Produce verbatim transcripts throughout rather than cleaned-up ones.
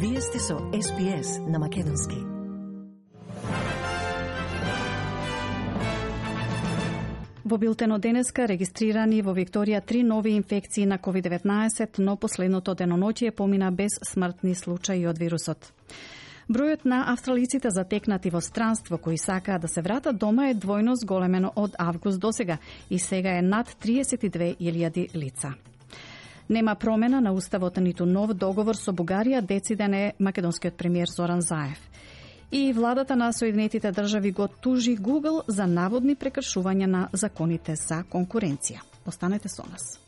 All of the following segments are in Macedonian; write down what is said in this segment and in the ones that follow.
Вие сте со Ес Би Ес на Македонски. Во билтенот денеска регистрирани во Викторија три нови инфекции на ковид деветнаесет, но последното деноноќие помина без смртни случаи од вирусот. Бројот на австралиците затекнати во странство кои сакаат да се вратат дома е двојно зголемено од август досега и сега е над триесет и две илјади лица. Нема промена на уставот ниту нов договор со Бугарија, дециден е македонскиот премиер Зоран Заев. И владата на Соединетите држави го тужи Google за наводни прекршувања на законите за конкуренција. Останете со нас.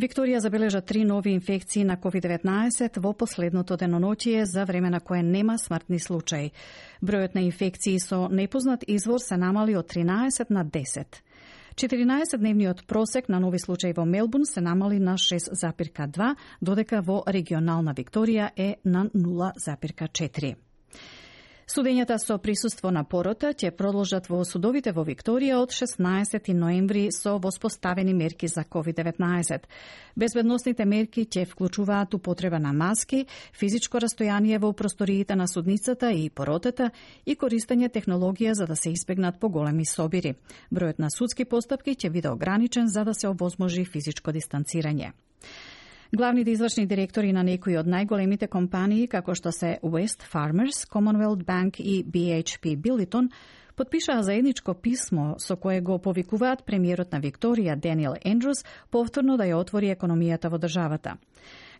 Викторија забележа три нови инфекции на ковид деветнаесет во последното деноноќие за време на кое нема смртни случаи. Бројот на инфекции со непознат извор се намали од тринаесет на десет. четиринаесетдневниот просек на нови случаи во Мелбурн се намали на шест запирка два, додека во регионална Викторија е на нула запирка четири. Судењата со присуство на порота ќе продолжат во судовите во Викторија од шеснаесети ноември со воспоставени мерки за ковид деветнаесет. Безбедносните мерки ќе вклучуваат употреба на маски, физичко растојание во просториите на судницата и поротата и користење технологија за да се избегнат поголеми собири. Бројот на судски постапки ќе биде ограничен за да се овозможи физичко дистанцирање. Главните извршни директори на некои од најголемите компании, како што се West Farmers, Commonwealth Bank и Би Еич Пи Billiton, потпишаа заедничко писмо со кое го повикуваат премиерот на Викторија Даниел Ендрус повторно да ја отвори економијата во државата.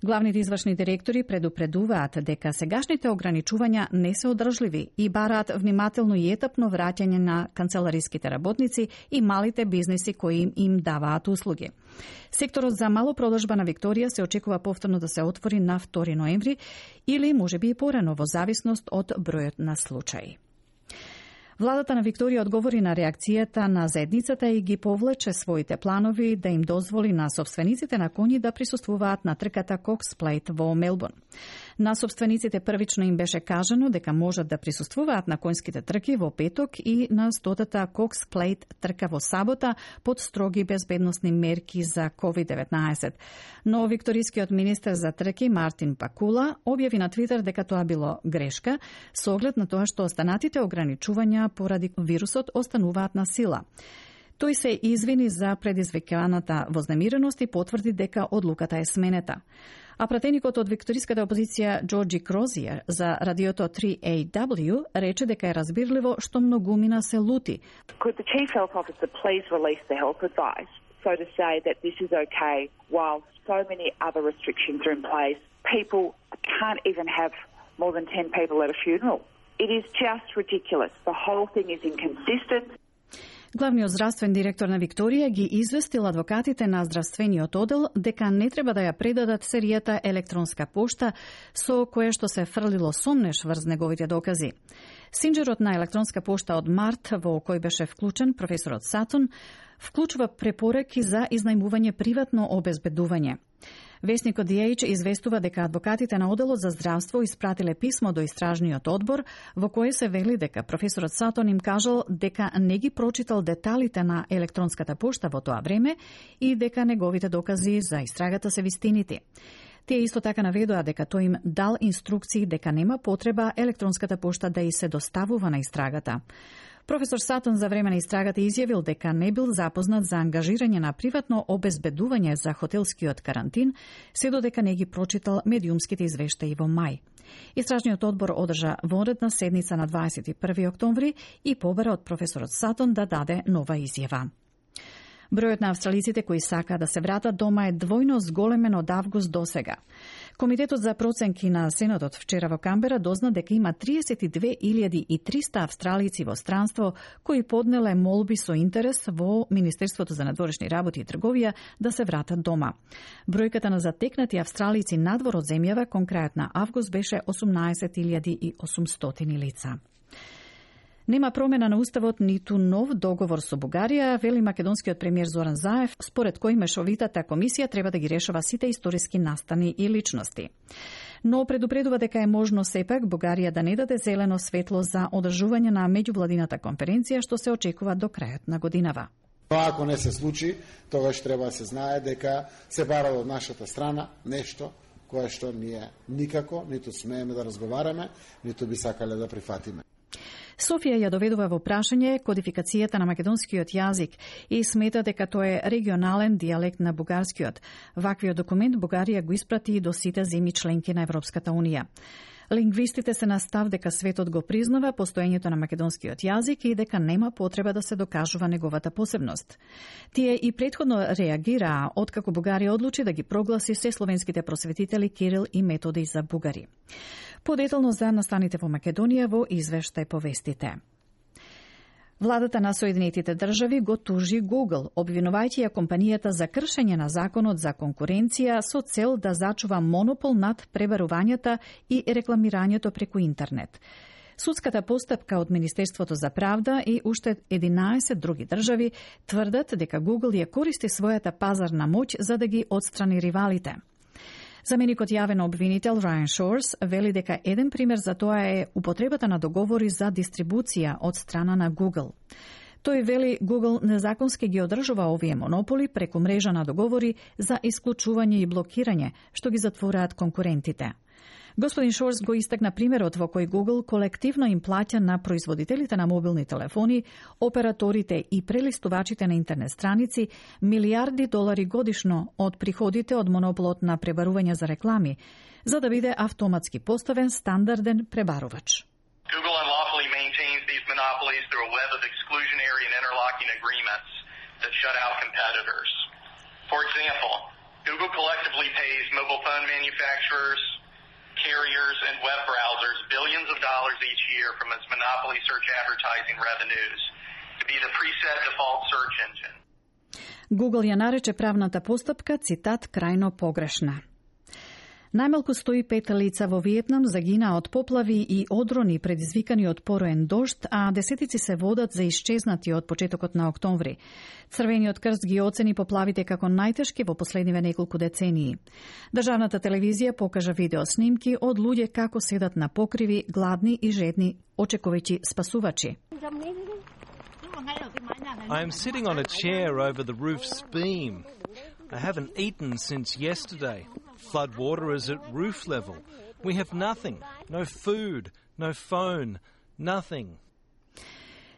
Главните извршни директори предупредуваат дека сегашните ограничувања не се одржливи и бараат внимателно и етапно враќање на канцелариските работници и малите бизниси кои им, им даваат услуги. Секторот за малопродажба на Викторија се очекува повторно да се отвори на втори ноември или можеби и порано во зависност од бројот на случаи. Владата на Викторија одговори на реакцијата на заедницата и ги повлече своите планови да им дозволи на собствениците на коњи да присуствуваат на трката Cox Plate во Мелбурн. На собствениците првично им беше кажано дека можат да присуствуваат на конјските трки во петок и на стотата Cox Plate трка во сабота под строги безбедносни мерки за ковид деветнаесет. Но викторискиот министер за трки Мартин Пакула објави на Твитер дека тоа било грешка со оглед на тоа што останатите ограничувања поради вирусот остануваат на сила. Тој се извини за предизвиканата вознемиреност и потврди дека одлуката е сменета. А пратеникот од викториската опозиција Джорджи Крозиер за радиото три Ей Дабл Ю рече дека е разбирливо што многумина се лути. Could the chief health officer please release the health advice so to say that this is okay while so many other restrictions are in place? People can't even have more than ten people at a funeral. It is just ridiculous. The whole thing is inconsistent. Главниот здравствен директор на Викторија ги известил адвокатите на здравствениот одел дека не треба да ја предадат серијата електронска пошта со кое што се фрлило сомнеш врз неговите докази. Синџерот на електронска пошта од март, во кој беше вклучен професорот Сатон, вклучува препораки за изнајмување приватно обезбедување. Весникот Ди Еич известува дека адвокатите на Оделот за здравство испратиле писмо до истражниот одбор во кое се вели дека професорот Сатон им кажал дека не ги прочитал деталите на електронската пошта во тоа време и дека неговите докази за истрагата се вистинити. Тие исто така наведоа дека тој им дал инструкции дека нема потреба електронската пошта да и се доставува на истрагата. Професор Сатон за време на истрагата изјавил дека не бил запознат за ангажирање на приватно обезбедување за хотелскиот карантин, се додека не ги прочитал медиумските извештаи во мај. Истражниот одбор одржа вонредна седница на дваесет и први октомври и побара од професорот Сатон да даде нова изјава. Бројот на австралиците кои сакаат да се вратат дома е двојно зголемен од август досега. Комитетот за проценки на Сенатот вчера во Камбера дозна дека има триесет и две илјади и триста австралици во странство кои поднеле молби со интерес во Министерството за надворешни работи и трговија да се вратат дома. Бројката на затекнати австралици надвор од земјава кон крајот на август беше осумнаесет илјади и осумстотини лица. Нема промена на уставот ниту нов договор со Бугарија, вели македонскиот премиер Зоран Заев, според кој мешовитата комисија треба да ги решава сите историски настани и личности. Но предупредува дека е можно сепак Бугарија да не даде зелено светло за одржување на меѓувладината конференција што се очекува до крајот на годинава. Тоа ако не се случи, тогаш треба да се знае дека се бара од нашата страна нешто кое што ние никако ниту смееме да разговараме, ниту би сакале да прифатиме. Софија ја доведува во прашање кодификацијата на македонскиот јазик и смета дека тоа е регионален дијалект на бугарскиот. Ваквиот документ Бугарија го испрати и до сите земји членки на Европската унија. Лингвистите се на став дека светот го признава постоењето на македонскиот јазик и дека нема потреба да се докажува неговата посебност. Тие и претходно реагираа откако Бугарија одлучи да ги прогласи се словенските просветители Кирил и Методи за бугари. Подетално за настаните во Македонија во извештај повестите. Владата на Соединетите држави го тужи Google, обвинувајќи ја компанијата за кршење на законот за конкуренција со цел да зачува монопол над пребарувањата и рекламирањето преку интернет. Судската постапка од Министерството за правда и уште единаесет други држави тврдат дека Google ја користи својата пазарна моќ за да ги отстрани ривалите. Заменикот јавен обвинител Райан Шорс вели дека еден пример за тоа е употребата на договори за дистрибуција од страна на Google. Тој вели Google незаконски ги одржува овие монополи преку мрежа на договори за исклучување и блокирање, што ги затвораат конкурентите. Господин Шорс го истакна примерот во кој Google колективно им плаќа на производителите на мобилни телефони, операторите и прелистувачите на интернет страници милиарди долари годишно од приходите од монополот на пребарување за реклами, за да биде автоматски поставен стандарден пребарувач. Google unlawfully maintains these monopolies through a web of exclusionary and interlocking agreements that shut out competitors. For example, Google collectively pays mobile phone manufacturers, carriers and web browsers billions of dollars each year from its monopoly search advertising revenues to be the preset default search engine. Google ја нарече правната постапка, цитат, крајно погрешна. Најмалку сто и пет лица во Виетнам загинаа од поплави и одрони предизвикани од пороен дожд, а десетици се водат за исчезнати од почетокот на октомври. Црвениот крст ги оцени поплавите како најтешки во последниве неколку децении. Државната телевизија покажа видео снимки од луѓе како седат на покриви, гладни и жедни, очекувајќи спасувачи. I am sitting on a chair over the roof's beam. I haven't eaten since yesterday. Flood water is at roof level. We have nothing. No food, no phone, nothing.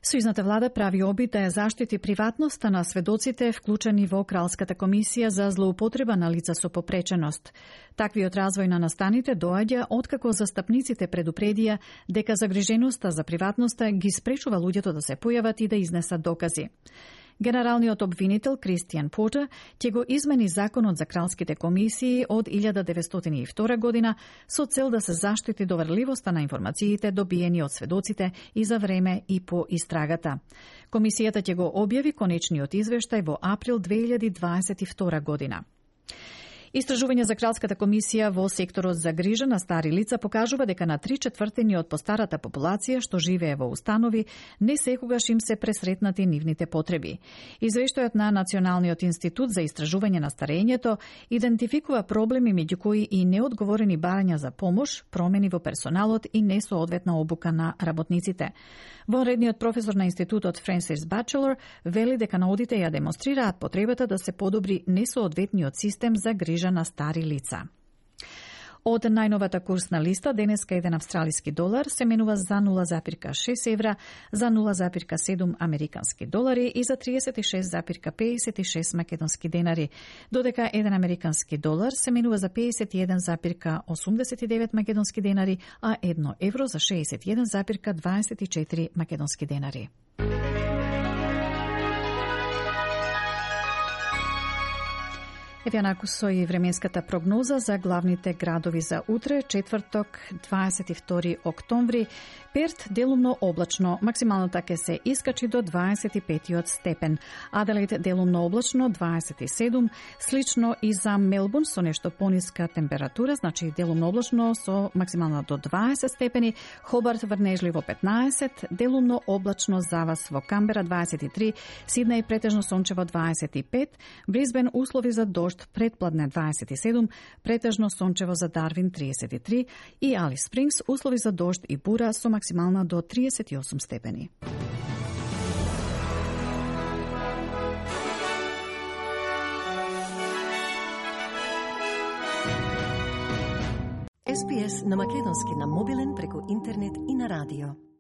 Сојузната влада прави обид да ја заштити приватноста на сведоците вклучени во Кралската комисија за злоупотреба на лица со попреченост. Таквиот развој на настаните доаѓа откако застапниците предупредија дека загриженоста за приватноста ги спречува луѓето да се појават и да изнесат докази. Генералниот обвинител Кристијан Портер ќе го измени законот за кралските комисии од илјада деветстотини и втора година со цел да се заштити доверливоста на информациите добиени од сведоците и за време и по истрагата. Комисијата ќе го објави конечниот извештај во април две илјади дваесет и втора година. Истражување за Кралската комисија во секторот за грижа на стари лица покажува дека на три четвртини од постарата популација што живее во установи не секогаш им се пресретнати нивните потреби. Извештајот на Националниот институт за истражување на старењето идентификува проблеми меѓу кои и неодговорени барања за помош, промени во персоналот и несоодветна обука на работниците. Вонредниот професор на институтот Френсис Бачелор вели дека наудите ја демонстрираат потребата да се подобри несоодветниот систем за грижа на стари лица. Од најновата курсна листа, денеска еден австралиски долар се менува за нула запирка шест евра, за нула запирка седум американски долари и за триесет и шест запирка пеесет и шест македонски денари, додека еден американски долар се менува за пеесет и еден запирка осумдесет и девет македонски денари, а едно евро за шеесет и еден запирка дваесет и четири македонски денари. Еве онаку со и временската прогноза за главните градови за утре, четврток, дваесет и втори октомври. Перт делумно облачно, максималната ќе се искачи до дваесет и петиот степен. Аделаид делумно облачно, дваесет и седум, слично и за Мелбурн со нешто пониска температура, значи делумно облачно со максимална до дваесет степени, Хобарт врнежливо петнаесет, делумно облачно за вас во Камбера дваесет и три, Сиднеј претежно сончево дваесет и пет, Брисбен услови за дожд предпладне дваесет и седум, претежно сончево за Дарвин триесет и три и Алис Спрингс услови за дожд и бура со максимална до триесет и осум степени. Ес Би Ес на македонски на мобилен преку интернет и на радио.